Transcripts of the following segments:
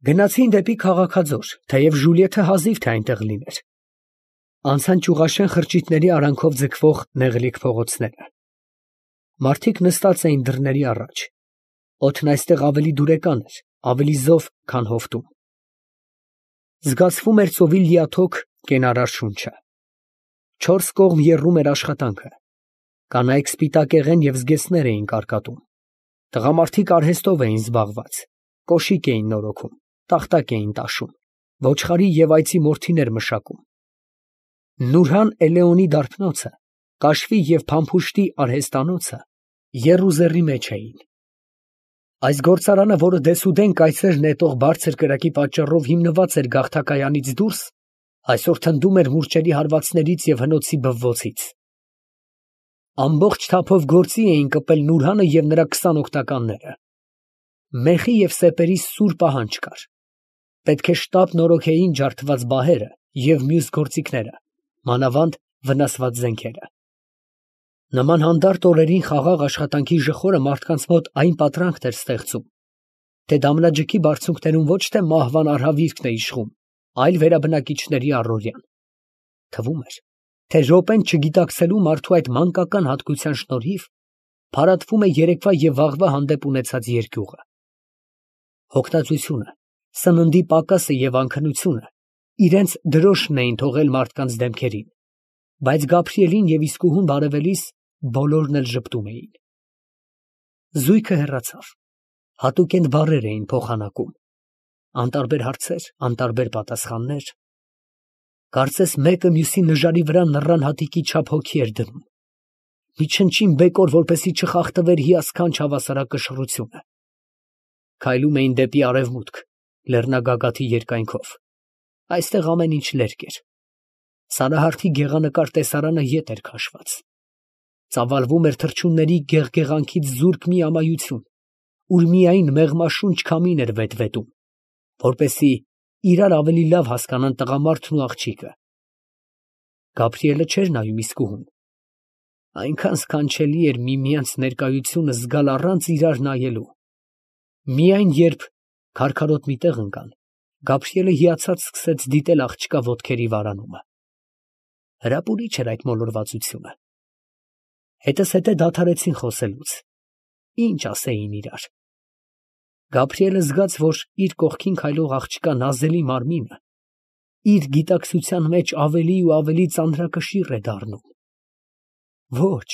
Գնացին դեպի քաղաքաձոր, թեև Ժուլիեթը հազիվ թե այնտեղ լիներ։ Անցան ճյուղաշեն խրճիթների արանքով ձգվող նեղլիկ փողոցները։ Մարդիկ նստած էին դռների առաջ։ Օդն այստեղ ավելի դուրեկան էր, ավելի զով, քան հովտում։ Զգացվում էր ծովի լիաթոք կենարար շունչը։ Չորս կողմ եռում էր աշխատանքը։ Կանայք սպիտակեղեն և զգեստներ էին կարկատում։ Տղամարդիկ արհեստով էին զբաղված, կոշիկ էին նորոգում, տախտակ էին տաշում, ոչխարի և այծի մորթիներ մշակում։ Նուրհան Էլեոնի դարբնոցը, կաշվի և փամփուշտի արհեստանոցը եռուզեռի մեջ էին։ Այս գործարանը, որը դեսուդեն կայծեր նետող բարձր կրակի պատճառով հիմնված էր գաղթակայանից դուրս, այսօր թնդում էր մուրճերի հարվածներից և հնոցի բվոցից։ Ամբողջ թափով գործի էին կպել Նուրհանը և նրա 20 օգնականները։ Մեխի և սեպերի սուր պահանջ կար։ Պետք է շտապ նորոգեին ջարդված բահերը և մյուս գործիքները, մանավանդ վնասված զենքերը։ Նման հանդարտ օրերին խաղաղ աշխատանքի ժխորը մարդկանց մոտ այն պատրանքն էր ստեղծում, թե դամնաջգի բարձունքներում ոչ թե մահվան արհավիրքն է իշխում, այլ վերաբնակիչների առօրյան։ Թվում էր, թե րոպեն չգիտակցելու մարդու այդ մանկական հատկության շնորհիվ փարատվում է երեկվա և վաղվա հանդեպ ունեցած երկյուղը։ Հոգնածությունը, սննդի պակասը և անքնությունը իրենց դրոշն էին թողել մարդկանց դեմքերին, բայց Գաբրիելին և իսկուհուն բարևելիս բոլորն էլ ժպտում էին։ Զույգը հեռացավ, հատուկենտ բառեր էին փոխանակում, անտարբեր հարցեր, անտարբեր պատասխաններ։ Կարծես մեկը մյուսի նժարի վրա նռան հատիկի չափ հոգի էր դնում, մի չնչին բեկոր, որպեսզի չխախտվեր հիասքանչ հավասարակշռությունը։ Քայլում էին դեպի արևմուտք, լեռնագագաթի երկայնքով։ Այստեղ ամեն ինչ լերկ էր։ Սարահարթի գեղանկար տեսարանը ետ էր քաշված։ Ծավալվում էր թռչունների գեղգեղանքից զուրկ մի ամայություն, ուր միայն մեղմաշունչ քամին էր վետվետում, որպեսզի իրար ավելի լավ հասկանան տղամարդն ու աղջիկը։ Գաբրիելը չէր նայում իսկուհուն։ Այնքան սքանչելի էր միմյանց ներկայությունը զգալ առանց իրար նայելու։ Միայն երբ քարքարոտ մի տեղ ընկան, Գաբրիելը հիացած սկսեց դիտել աղջկա ոտքերի վարանումը։ Հրապուրիչ էր այդ մոլորվածությունը։ Հետզհետե դադարեցին խոսելուց։ Ինչ ասեին իրար։ Գաբրիելը զգաց, որ իր կողքին քայլող աղջկա նազելի մարմինը իր գիտակցության մեջ ավելի ու ավելի ծանրակշիռ է դառնում։ Ոչ,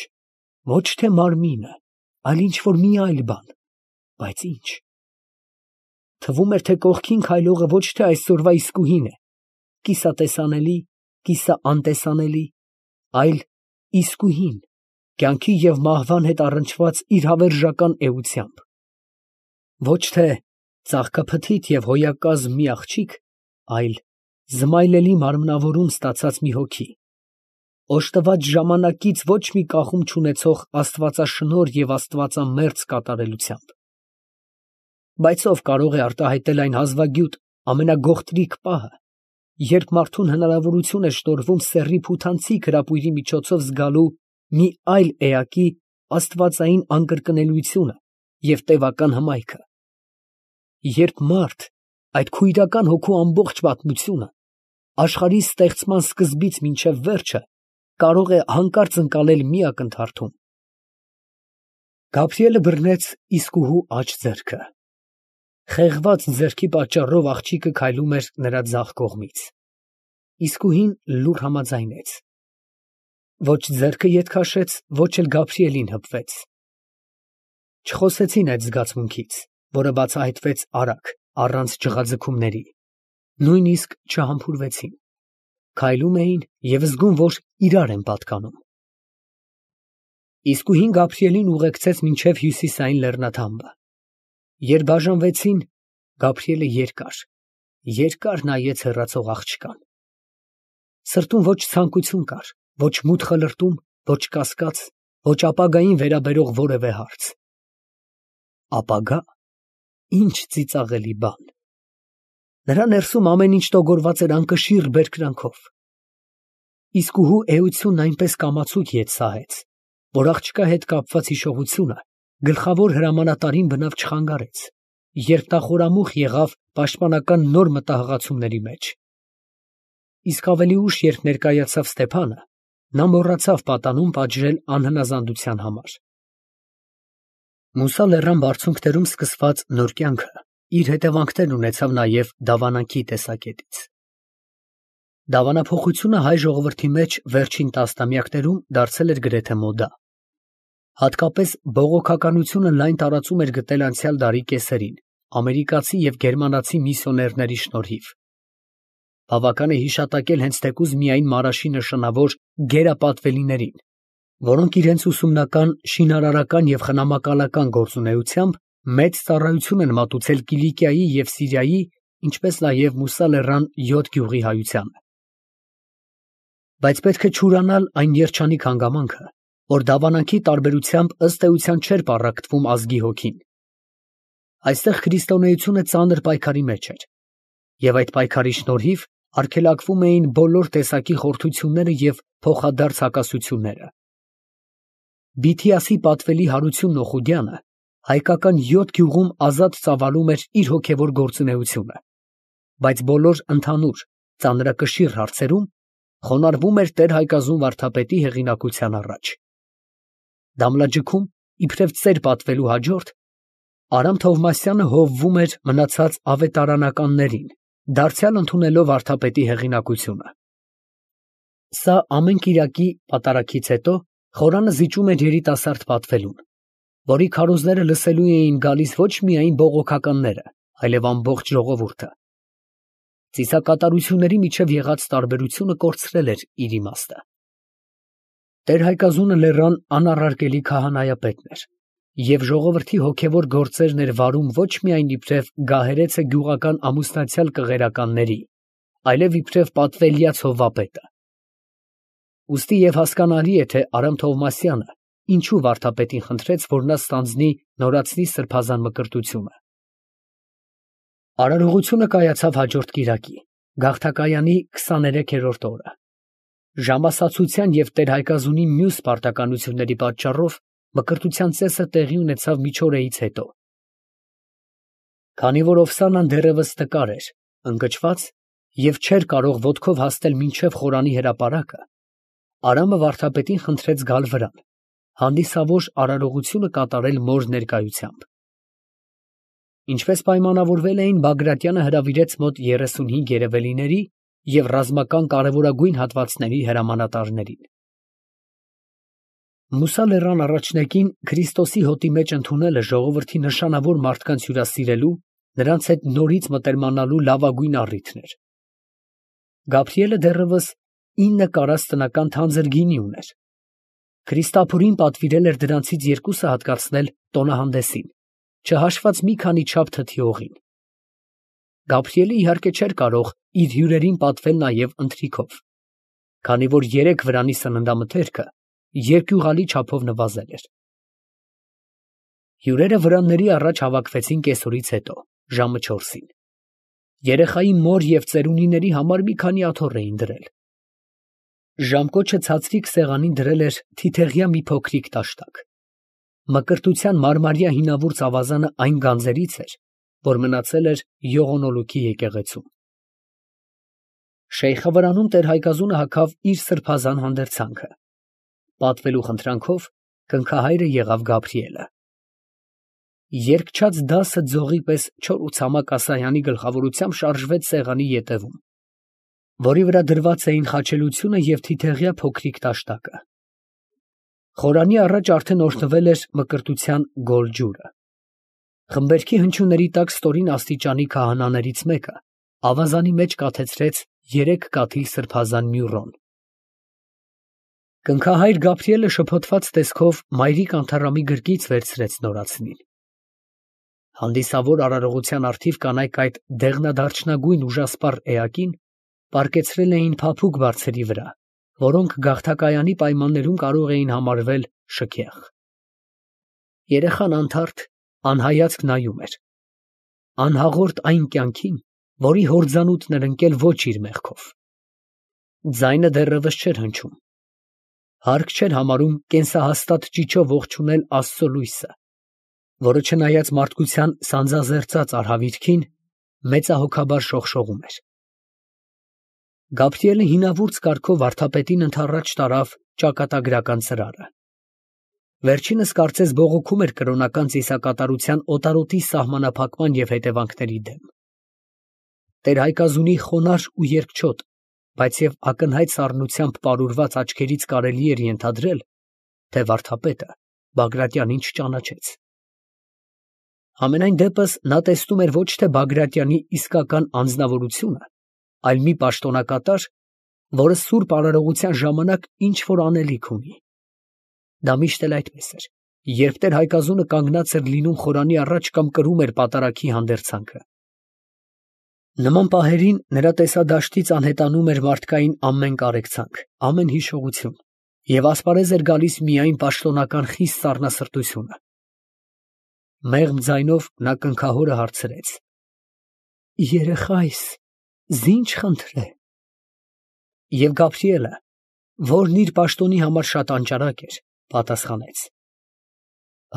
ոչ թե մարմինը, այլ ինչ֊որ մի այլ բան, բայց ինչ։ Թվում էր, թե կողքին քայլողը ոչ թե այսօրվա իսկուհին է, կիսատեսանելի, կիսաանտեսանելի, այլ իսկուհին, կյանքի և մահվան հետ առնչված իր հավերժական էությամբ։ Ոչ թե ծաղկափթիթ և հոյակազմ մի աղջիկ, այլ զմայլելի մարմնավորում ստացած մի հոգի, օժտված ժամանակից ոչ մի կախում չունեցող աստվածաշնորհ և աստվածամերձ կատարելությամբ։ Բայց ո՞վ կարող է արտահայտել այն հազվագյուտ ամենագողտրիկ պահը, երբ մարդուն հնարավորություն է շնորհվում սեռի փութանցիկ հրապույրի միջոցով զգալու մի այլ էակի աստվածային անկրկնելիությունը և տևական հմայքը, երբ մարդ այդ քույրական հոգու ամբողջ պատմությունը աշխարհի ստեղծման սկզբից մինչև վերջը կարող է հանկարծ ընկալել մի ակնթարթում։ Գաբրիելը բռնեց իսկուհու աջ ձեռքը։ Խեղված ձեռքի պատճառով աղջիկը քայլում էր նրա ձախ կողմից։ Իսկուհին լուռ համաձայնեց։ Ոչ ձեռքը ետ քաշեց, ոչ էլ Գաբրիելին հպվեց։ Չխոսեցին այդ զգացմունքից, որը բացահայտվեց արագ, առանց ջղաձգումների, նույնիսկ չհամբուրվեցին։ Քայլում էին և զգում, որ իրար են պատկանում։ Իսկուհին Գաբրիելին ուղեկցեց մինչև հյուսիսային լեռնաթամբը։ Երբ բաժանվեցին, Գաբրիելը երկար նայեց հեռացող աղջկան։ Սրտում ոչ ցանկություն կար, ոչ մութ խլրտում, ոչ կասկած, ոչ ապագային վերաբերող որևէ հարց։ Ապագա, ինչ ծիծաղելի բան։ Նրա ներսում ամեն ինչ տոգորված էր անկշիռ բերկրանքով։ Իսկուհու էությունն այնպես կամացուկ ետ սահեց, որ աղջկա հետ կապված հիշողությունը գլխավոր հրամանատարին բնավ չխանգարեց երբ նա խորամուխ եղավ պաշտպանական նոր մտահղացումների մեջ։ Իսկ ավելի ուշ, երբ ներկայացավ Ստեփանը, նա մոռացավ պատանում պատժել անհնազանդության համար։ Մուսա լեռան բարձունքներում սկսված նոր կյանքը իր հետևանքներն ունեցավ նաև դավանանքի տեսակետից։ Դավանափոխությունը հայ ժողովրդի մեջ վերջին տասնամյակներում դարձել էր գրեթե մոդա։ Հատկապես բողոքականությունը լայն տարածում էր գտել անցյալ դարի կեսերին ամերիկացի և գերմանացի միսիոներների շնորհիվ։ Բավական է հիշատակել հենց թեկուզ միայն Մարաշի նշանավոր գերապատվելիներին, որոնք իրենց ուսումնական, շինարարական և խնամակալական գործունեությամբ մեծ ծառայություն են մատուցել Կիլիկիայի և Սիրիայի, ինչպես նաև Մուսա լեռան 7 գյուղի հայությանը։ Բայց պետք է չուրանալ այն երջանիկ հանգամանքը, որ դավանանքի տարբերությամբ ըստ էության չէր պառակտվում ազգի հոգին։ Այստեղ քրիստոնեությունը ծանր պայքարի մեջ էր, և այդ պայքարի շնորհիվ արգելակվում էին բոլոր տեսակի խորթությունները և փոխադարձ հակասությունները։ Բիթիասի պատվելի Հարությունն Օխուդյանը հայկական 7 գյուղում ազատ ծավալում էր իր հոգևոր գործունեությունը, բայց բոլոր ընդհանուր ծանրակշիռ հարցերում խոնարհվում էր տեր-Հայկազուն վարդապետի հեղինակության առաջ։ Դամլաջքում, իբրև ծեր պատվելու հաջորդ, Արամ Թովմասյանը հովվում էր մնացած ավետարանականներին, դարձյալ ընդունելով վարդապետի հեղինակությունը։ Սա ամեն կիրակի պատարագից հետո խորանը զիջում էր երիտասարդ պատվելուն, որի քարոզները լսելու էին գալիս ոչ միայն բողոքականները, այլև ամբողջ ժողովուրդը։ Ծիսակատարությունների միջև եղած տարբերությունը կորցրել էր իր իմաստը։ Տեր-Հայկազունը լեռան անառարկելի քահանայապետն էր, և ժողովրդի հոգևոր գործերն էր վարում ոչ միայն իբրև գահերեցը գյուղական ամուսնացյալ կղերականների, այլև իբրև պատվելյաց հովվապետը։ Ուստի և հասկանալի է, թե Արամ Թովմասյանը ինչու վարդապետին խնդրեց, որ նա ստանձնի նորածնի սրբազան մկրտությունը։ Արարողությունը կայացավ հաջորդ կիրակի, գավթակայանի 23-րդ օրը։ Ժամասացության և տեր-Հայկազունի մյուս պարտականությունների պատճառով մկրտության ծեսը տեղի ունեցավ միջօրեից հետո։ Քանի որ Օվսանան դեռևս տկար էր, ընկճված և չէր կարող ոտքով հասնել մինչև խորանի հրապարակը, Արամը վարդապետին խնդրեց գալ վրան, հանդիսավոր արարողությունը կատարել մոր ներկայությամբ։ Ինչպես պայմանավորվել էին, Բագրատյանը հրավիրեց մոտ 35 երևելիների և ռազմական կարևորագույն հատվածների հրամանատարներին։ Մուսա լեռան առաջնեկին Քրիստոսի հոտի մեջ ընդունելը ժողովրդի նշանավոր մարդկանց հյուրասիրելու, նրանց հետ նորից մտերմանալու լավագույն առիթն էր։ Գաբրիելը դեռևս 9 կարաստ տնական թանձր գինի ուներ։ Քրիստափուրին պատվիրել էր դրանցից 2-ը հատկացնել տոնահանդեսին, չհաշված մի քանի չափ թթի օղին։ Գաբրիելը իհարկե չէր կարող իր հյուրերին պատվել նաև ընթրիքով, քանի որ 3 վրանի սննդամթերքը երկյուղալի չափով նվազել էր։ Հյուրերը վրանների առաջ հավաքվեցին կեսօրից հետո, ժամը 4-ին։ Երեխայի մոր և ծերունիների համար մի քանի աթոռ էին դրել։ Ժամկոչը ցածրիկ սեղանին դրել էր թիթեղյա մի փոքրիկ տաշտակ։ Մկրտության մարմարյա հինավուրց ավազանը այն գանձերից էր, որ մնացել էր Յողոնոլուքի եկեղեցում։ Շեյխը վրանում տեր-Հայկազունը հագավ իր սրբազան հանդերձանքը։ Պատվելու խնդրանքով կնքահայրը եղավ Գաբրիելը։ Երկչած դասը ձողի պես չոր ու ցամաք ասայանի գլխավորությամբ շարժվեց սեղանի ետևում, որի վրա դրված էին խաչելությունը և թիթեղյա փոքրիկ տաշտակը։ Խորանի առաջ արդեն օրհնվել էր մկրտության գոլ ջուրը։ Խմբերքի հնչյունների տակ ստորին աստիճանի քահանաներից մեկը ավազանի մեջ կաթեցրեց 3 կաթիլ սրբազան մյուրոն։ Կնքահայր Գաբրիելը շփոթված տեսքով մայրիկ անթառամի գրկից վերցրեց նորածնին։ Հանդիսավոր արարողության առթիվ կանայք այդ դեղնադարչնագույն ուժասպառ էակին պառկեցրել էին փափուկ բարձերի վրա, որոնք գավթակայանի պայմաններում կարող էին համարվել շքեղ։ Երեխան անթարթ, անհայացք նայում էր, անհաղորդ այն կյանքին, որի հորձանուտն էր ընկել ոչ իր մեղքով։ Ձայնը դեռևս չէր հնչում։ Հարկ չէր համարում կենսահաստատ ճիչով ողջունել Աստծո լույսը, որը չնայած մարդկության սանձազերծած արհավիրքին, մեծահոգաբար շողշողում էր։ Գաբրիելը հինավուրց կարգով վարդապետին ընդառաջ տարավ ճակատագրական ծրարը։ Վերջինս կարծես բողոքում էր կրոնական ծիսակատարության օտարոտի սահմանափակման և հետևանքների դեմ։ Տեր-Հայկազունի խոնարհ ու երկչոտ, բայց և ակնհայտ սառնությամբ պարուրված աչքերից կարելի էր ենթադրել, թե վարդապետը Բագրատյանին չճանաչեց։ Համենայն դեպս նա տեսնում էր ոչ թե Բագրատյանի իսկական անձնավորությունը, այլ մի պաշտոնակատար, որը սուրբ արարողության ժամանակ ինչ-որ անելիք ունի։ Դա միշտ էլ այդպես էր, երբ Տեր-Հայկազունը կանգնած էր լինում խորանի առաջ կամ կրում էր պատարագի հանդերձանքը։ Նման պահերին նրա տեսադաշտից անհետանում էր մարդկային ամեն կարեկցանք, ամեն հիշողություն, և ասպարեզ էր գալիս միայն պաշտոնական խիստ սառնասրտությունը։ Մեղմ ձայնով նա կնքահորը հարցրեց. «Երեխայիս, զի՞նչ խնդրե»։ Եվ Գաբրիելը, որն իր պաշտոնի համար շատ անճարակ էր, պատասխանեց.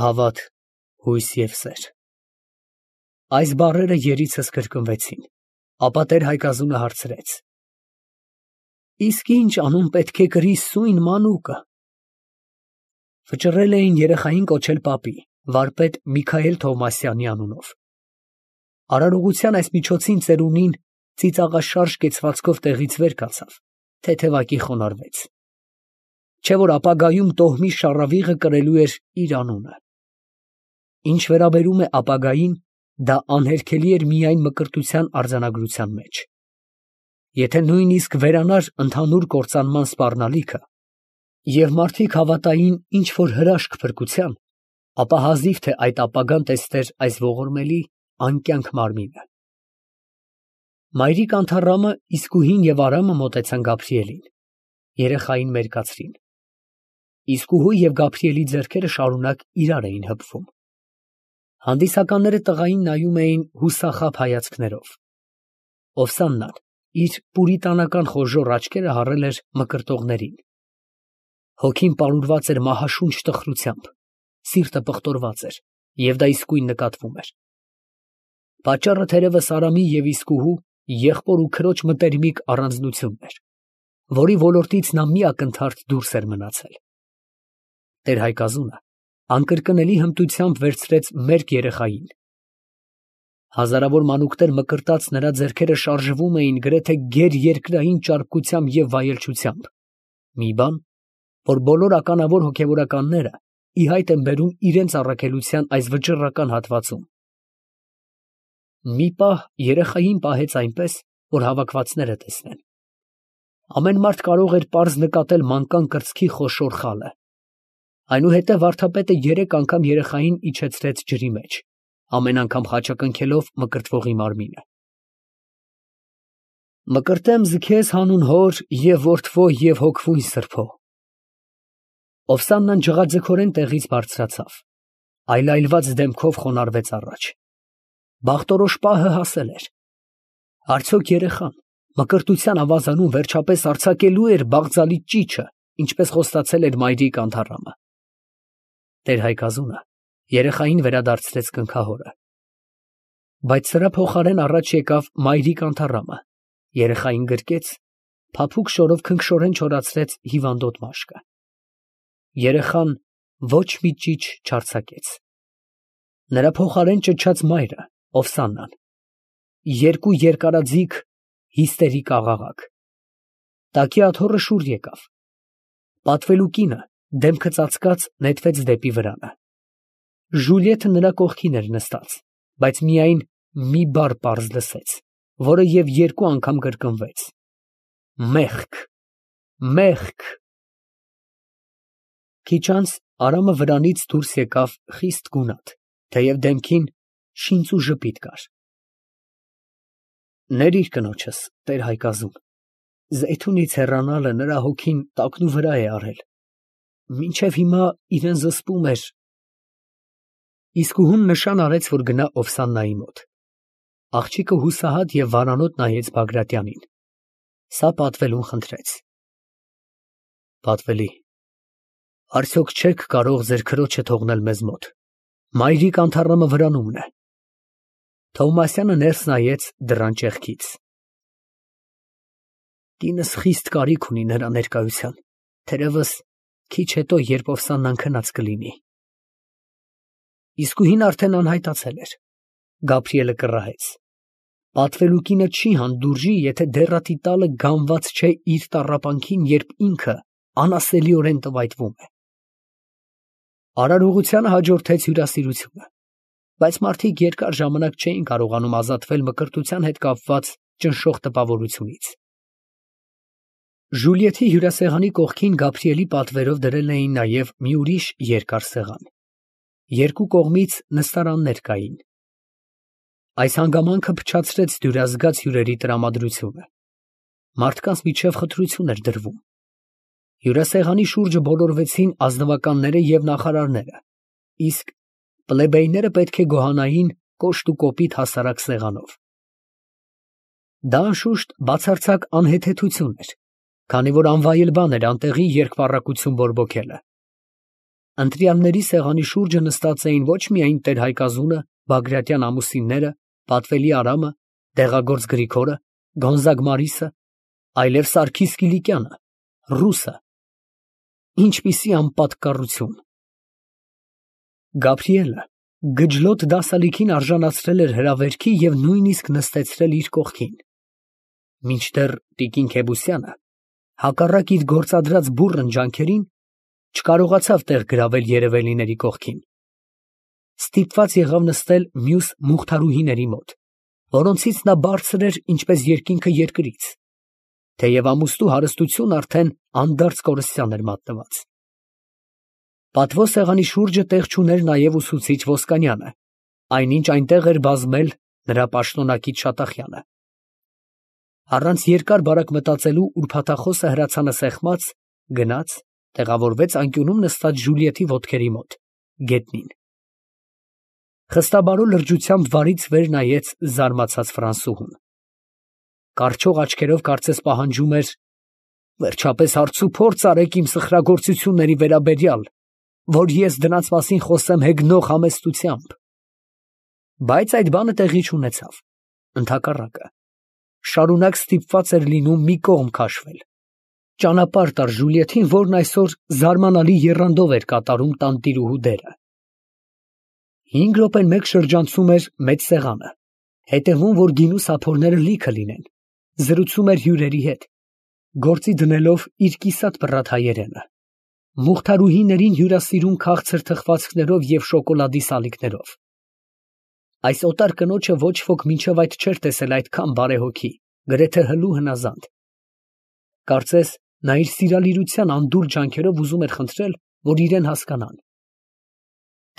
«Հավատ, հույս և սեր»։ Այս բառերը երիցս կրկնվեցին, ապա Տեր-Հայկազունը հարցրեց. «Իսկ ի՞նչ անուն պետք է կրի սույն մանուկը»։ Վճռել էին երեխային կոչել պապի, վարպետ Միքայել Թովմասյանի անունով։ Արարողության այս միջոցին ծերունին ծիծաղաշարժ կեցվածքով տեղից վեր կացավ, թեթևակի խոնարհվեց։ Չէ՞ որ ապագայում տոհմի շառավիղը կրելու էր իր անունը։ Ինչ վերաբերում է ապագային, դա անհերքելի էր միայն մկրտության արձանագրության մեջ։ Եթե նույնիսկ վերանար ընդհանուր կործանման սպառնալիքը, և մարդիկ հավատային ինչ֊որ հրաշք փրկության, ապա հազիվ թե այդ ապագան տեսներ այս ողորմելի անկյանք մարմինը։ Մայրիկ Անթառամը, Իսկուհին և Արամը մոտեցան Գաբրիելին, երեխային մերկացրին։ Իսկուհու և Գաբրիելի ձեռքերը շարունակ իրար էին հպվում։ Հանդիսականները տղային նայում էին հուսախաբ հայացքներով։ Օվսաննան իր պուրիտանական խոժոռ աչքերը հառել էր մկրտողներին։ Հոգին պարուրված էր մահաշունչ տխրությամբ, սիրտը պղտորված էր, և դա իսկույն նկատվում էր։ Պատճառը թերևս Արամի և Իսկուհու եղբոր ու քրոջ մտերմիկ առանձնությունն էր, որի ոլորտից նա մի ակնթարթ դուրս էր մնացել։ Տեր-Հայկազունը անկրկնելի հմտությամբ վերցրեց մերկ երեխային։ Հազարավոր մանուկներ մկրտած նրա ձեռքերը շարժվում էին գրեթե գերերկրային ճարպկությամբ և վայելչությամբ, մի բան, որ բոլոր ականավոր հոգևորականները ի հայտ են բերում իրենց առաքելության այս վճռական հատվածում։ Մի պահ երեխային պահեց այնպես, որ հավաքվածները տեսնեն։ Ամեն մարդ կարող էր պարզ նկատել մանկան կրծքի խոշոր խալը։ Այնուհետև վարդապետը 3 անգամ երեխային իջեցրեց ջրի մեջ, ամեն անգամ խաչակնքելով մկրտվողի մարմինը։ «Մկրտեմ ձգեզ հանուն հոր և որդվո և հոգվույն սրբո»։ Օվսաննան ջղաձգորեն տեղից բարձրացավ, այլայլված դեմքով խոնարհվեց առաջ։ Բախտորոշ պահը հասել էր։ Արդյոք երեխան մկրտության ավազանում վերջապես արձակելո՞ւ էր բաղձալի ճիչը, ինչպես խոստացել էր մայրիկ Անթառամը։ Տեր-Հայկազունը երեխային վերադարձրեց կնքահորը։ Բայց սրա փոխարեն առաջ եկավ մայրիկ Անթառամը, երեխային գրկեց, փափուկ շորով քնքշորեն չորացրեց հիվանդոտ մաշկը։ Երեխան ոչ մի ճիչ չարձակեց։ Նրա փոխարեն ճչաց մայրը, Օվսաննան, 2 երկարաձիգ հիստերիկ աղաղակ։ Տակի աթոռը շուռ եկավ։ Պատվելու կինը, դեմքը ծածկած, նետվեց դեպի վրանը։ Ժուլիեթը նրա կողքին էր նստած, բայց միայն մի բառ պարզ լսեց, որը և 2 անգամ կրկնվեց. «Մեղք, մեղք»։ Քիչ անց Արամը վրանից դուրս եկավ խիստ գունատ, թեև դեմքին շինծ ու ժպիտ կար։ «Ներիր կնոջս, Տեր֊Հայկազուն, Զեյթունից հեռանալը նրա հոգին տակնուվրա է արել, մինչև հիմա իրան զսպում էր»։ Իսկուհուն նշան արեց, որ գնա Օվսաննայի մոտ։ Աղջիկը հուսահատ և վարանոտ նայեց Բագրատյանին, սա պատվելուն խնդրեց. «Պատվելի, արդյոք չե՞ք կարող ձեր քրոջը թողնել մեզ մոտ, Մայրիկ անթառամը վրանումն է։ Թովմասյանը ներս նայեց դռան ճեղքից։ Կինս խիստ կարիք ունի նրա ներկայության, թերևս քիչ հետո, երբ Օվսանան քնած կլինի։ Իսկույն արդեն անհայտացել էր։ Գաբրիելը կռահեց. պատվելու կինը չի հանդուրժի, եթե դեռատի տալը գանված չէ իր տառապանքին, երբ ինքը անասելիորեն տվայտվում է։ Արարողությանը հաջորդեց հյուրասիրությունը, բայց մարդիկ երկար ժամանակ չէին կարողանում ազատվել մկրտության հետ կապված ճնշող տպավորությունից։ Ժուլիեթի հյուրասեղանի կողքին Գաբրիելի պատվերով դրել էին նաև մի ուրիշ երկար սեղան։ Երկու կողմից նստարաններ կային։ Այս հանգամանքը փչացրեց դյուրազգաց հյուրերի տրամադրությունը։ Մարդկանց միջև խտրություն էր դրվում։ Հյուրասեղանի շուրջը բոլորվեցին ազնվականները և նախարարները, իսկ պլեբեյները պետք է գոհանային կոշտ ու կոպիտ հասարակ սեղանով։ Դա անշուշտ բացարձակ անհեթեթություն էր, քանի որ անվայել բան էր անտեղի երկպառակություն բորբոքելը։ Ընտրյալների սեղանի շուրջը նստած էին ոչ միայն տեր-Հայկազունը, Բագրատյան ամուսինները, Պատվելի Արամը, Դեղագործ Գրիգորը, Գոնզագ Մարիսը, այլև Սարգիս Կիլիկյանը, ռուսը։ Ինչպիսի անպատկառություն։ Գաբրիելը գջլոտ դասալիքին արժանացրել էր հրավերքի և նույնիսկ նստեցրել իր կողքին։ Մինչդեռ տիկին Քեբուսյանը, հակառակ իր գործադրած բուռն ջանքերին, չկարողացավ տեղ գրավել երևելիների կողքին։ Ստիպված եղավ նստել մյուս մուղթարուհիների մոտ, որոնցից նա բարձր էր ինչպես երկինքը երկրից, թեև ամուսնու հարստությունը արդեն անդարձ կորստյան էր մատնված։ Պատվո սեղանի շուրջը տեղ չուներ նաև ուսուցիչ Ոսկանյանը, այնինչ այնտեղ էր բազմել նրա պաշտոնակից Շատախյանը։ Առանց երկար֊բարակ մտածելու ուրփաթախոսը հրացանը սեղմած, գնաց, տեղավորվեց անկյունում նստած Ժուլիեթի ոտքերի մոտ, գետնին։ Խստաբարո լրջությամբ վարից վեր նայեց զարմացած Ֆրանսուհուն։ Կառչող աչքերով կարծես պահանջում էր. «Վերջապես հարցուփորձ արեք իմ սխրագործությունների վերաբերյալ, որ ես դրանց մասին խոսեմ հեգնող համեստությամբ»։ Բայց այդ բանը տեղի չունեցավ, ընդհակառակը, շարունակ ստիպված էր լինում մի կողմ քաշվել, ճանապարհ տար Ժուլիեթին, որն այսօր զարմանալի եռանդով էր կատարում տանտիրուհու դերը։ 5 րոպեն մեկ շրջանցում էր մեծ սեղանը, հետևում, որ գինու սափորները լիքը լինեն, զրուցում էր հյուրերի հետ, գործի դնելով իր կիսատ պռատ հայերենը, մուղթարուհիներին հյուրասիրում քաղցր թխվածքներով և շոկոլադի սալիկներով։ Այս օտար կնոջը ոչ ոք մինչև այդ չէր տեսել այդքան բարեհոգի, գրեթե հլու հնազանդ։ Կարծես նա իր սիրալիրության անդուր ջանքերով ուզում էր խնդրել, որ իրեն հասկանան։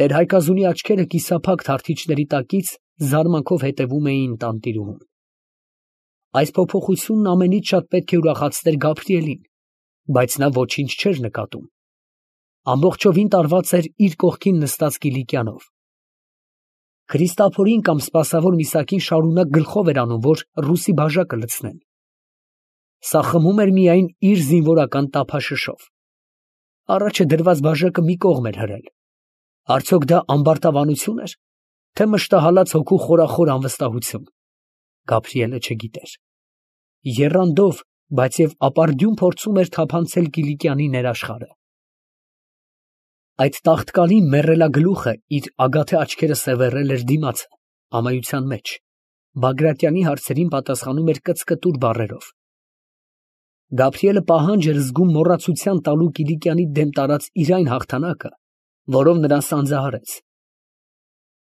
Տեր-Հայկազունի աչքերը կիսափակ թարթիչների տակից զարմանքով հետևում էին տանտիրուհուն։ Այս փոփոխությունն ամենից շատ պետք է ուրախացներ Գաբրիելին, բայց նա ոչինչ չէր նկատում։ Ամբողջովին տարված էր իր կողքին նստած Կիլիկյանով։ Քրիստափորին կամ սպասավոր Միսակին շարունակ գլխով էր անում, որ ռուսի բաժակը լցնեն։ Սա խմում էր միայն իր զինվորական տափաշշով։ Առաջը դրված բաժակը մի կողմ էր հրել։ Արդյոք դա ամբարտավանություն էր, թե մշտահալած հոգու խորախոր անվստահություն։ Գաբրիելը չգիտեր։ Եռանդով, բայց և ապարդյուն փորձում էր թափանցել Կիլիկյանի ներաշխարհը։ Այդ տաղտկալի մեռելագլուխը իր ագաթե աչքերը սևեռել էր դիմացը, ամայության մեջ, Բագրատյանի հարցերին պատասխանում էր կծկտուր բառերով։ Գաբրիելը պահանջ էր զգում մոռացության տալու Կիլիկյանի դեմ տարած իր այն հաղթանակը, որով նրան սանձահարեց։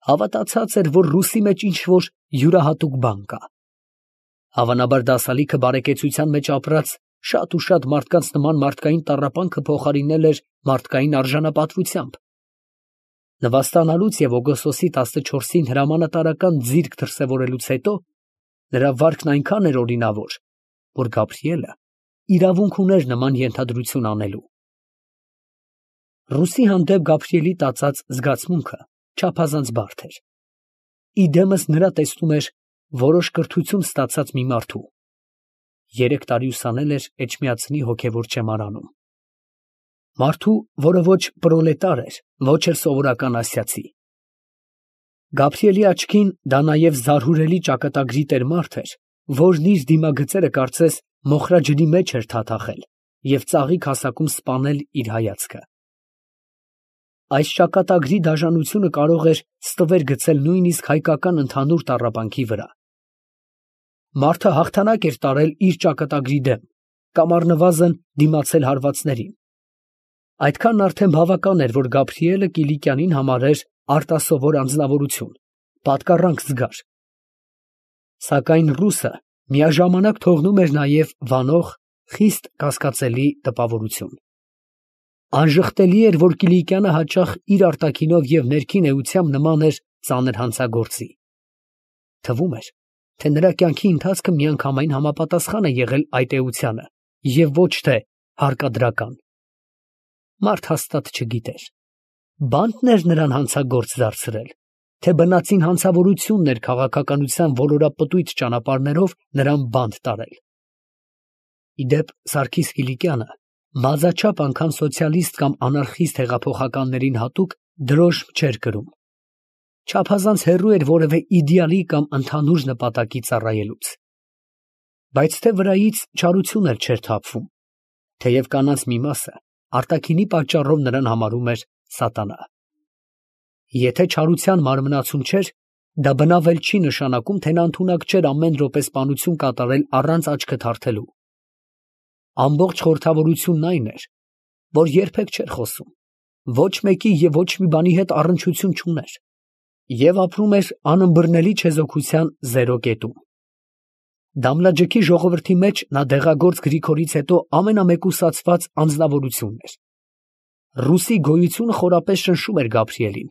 Հավատացած էր, որ ռուսի մեջ ինչ-որ յուրահատուկ բան կա։ Հավանաբար դասալիքը բարեկեցության մեջ ապրած շատ ու շատ մարդկանց նման մարդկային տառապանքը փոխարինել էր մարդկային արժանապատվությամբ։ Նվաստանալուց և օգոստոսի 14-ին հրամանատարական ձիրք դրսևորելուց հետո նրա վարքն այնքան էր օրինավոր, որ Գաբրիելը իրավունք ուներ նման ենթադրություն անելու։ Ռուսի հանդեպ Գաբրիելի տածած զգացմունքը չափազանց բարդ էր։ Իդեմս նրա տեսնում էր որոշ կրթություն ստացած մի մարդու։ 3 տարի ուսանել էր Էջմիածնի հոգևոր չեմարանում։ Մարդու, որը ոչ պրոլետար էր, ոչ էլ սովորական ասիացի, Գաբրիելի աչքին դա նաև զարհուրելի ճակատագրի տեր մարդ էր, որն իր դիմագծերը կարծես մոխրաջրի մեջ էր թաթախել և ծաղիկ հասակում սպանել իր հայացքը։ Այս ճակատագրի դաժանությունը կարող էր ստվեր գցել նույնիսկ հայկական ընդհանուր տառապանքի վրա։ Մարդը հաղթանակ էր տարել իր ճակատագրի դեմ, կամ առնվազն դիմացել հարվածներին։ Այդքան արդեն բավական էր, որ Գաբրիելը Կիլիկյանին համարեր արտասովոր անձնավորություն, պատկառանք զգար։ Սակայն ռուսը միաժամանակ թողնում էր նաև վանող, խիստ կասկածելի տպավորություն։ Անժխտելի էր, որ Կիլիկյանը հաճախ իր արտաքինով և ներքին էությամբ նման էր ծանր հանցագործի։ Թվում էր, թե նրա կյանքի ընթացքը միանգամայն համապատասխան է եղել այդ էությանը և ոչ թե հարկադրական։ Մարդ հաստատ չգիտեր, բա՞նտն էր նրան հանցագործ դարձրել, թե բնածին հանցավորությունն էր քաղաքականության ոլորապտույտ ճանապարհներով նրան բանտ տարել։ Ի դեպ, Սարգիս Կիլիկյանը բազաչափ անգամ սոցիալիստ կամ անարխիստ հեղափոխականներին հատուկ դրոշմ չէր կրում, չափազանց հեռու էր որևէ իդեալի կամ ընդհանուր նպատակի ծառայելուց։ Բայց թե վրայից չարություն էլ չէր թափվում, թեև կանանց մի մասը արտաքինի պատճառով նրան համարում էր սատանա։ Եթե չարության մարմնացում չէր, դա բնավ էլ չի նշանակում, թե նա ընդունակ չէր ամեն րոպե սպանություն կատարել առանց աչքը թարթելու։ Ամբողջ խորհրդավորությունն այն էր, որ երբեք չէր խոսում, ոչ մեկի և ոչ մի բանի հետ առնչություն չուներ և ապրում էր անըմբռնելի չեզոքության զերո կետում։ Դամլաջքի ժողովրդի մեջ նա դեղագործ Գրիգորից հետո ամենամեկուսացված անձնավորությունն էր։ Ռուսի գոյությունը խորապես շնշում էր Գաբրիելին,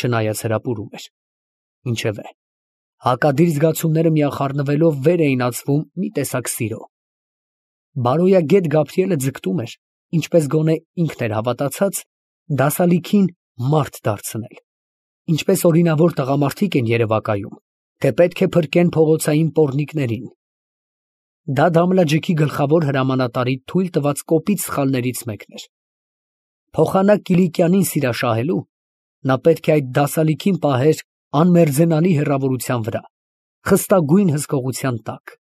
չնայած հրապուրում էր։ Ինչևէ, հակադիր զգացումները միախառնվելով վեր էին ածվում մի տեսակ սիրո։ Բարոյագետ Գաբրիելը ձգտում էր, ինչպես գոնե ինքն էր հավատացած, դասալիքին մարդ դարձնել, ինչպես օրինավոր տղամարդիկ են երևակայում, թե պետք է փրկեն փողոցային պոռնիկներին։ Դա Դամլաջքի գլխավոր հրամանատարի թույլ տված կոպիտ սխալներից մեկն էր։ Փոխանակ Կիլիկյանին սիրաշահելու, նա պետք է այդ դասալիքին պահեր անմերձենալի հեռավորության վրա, խստագույն հսկողության տակ։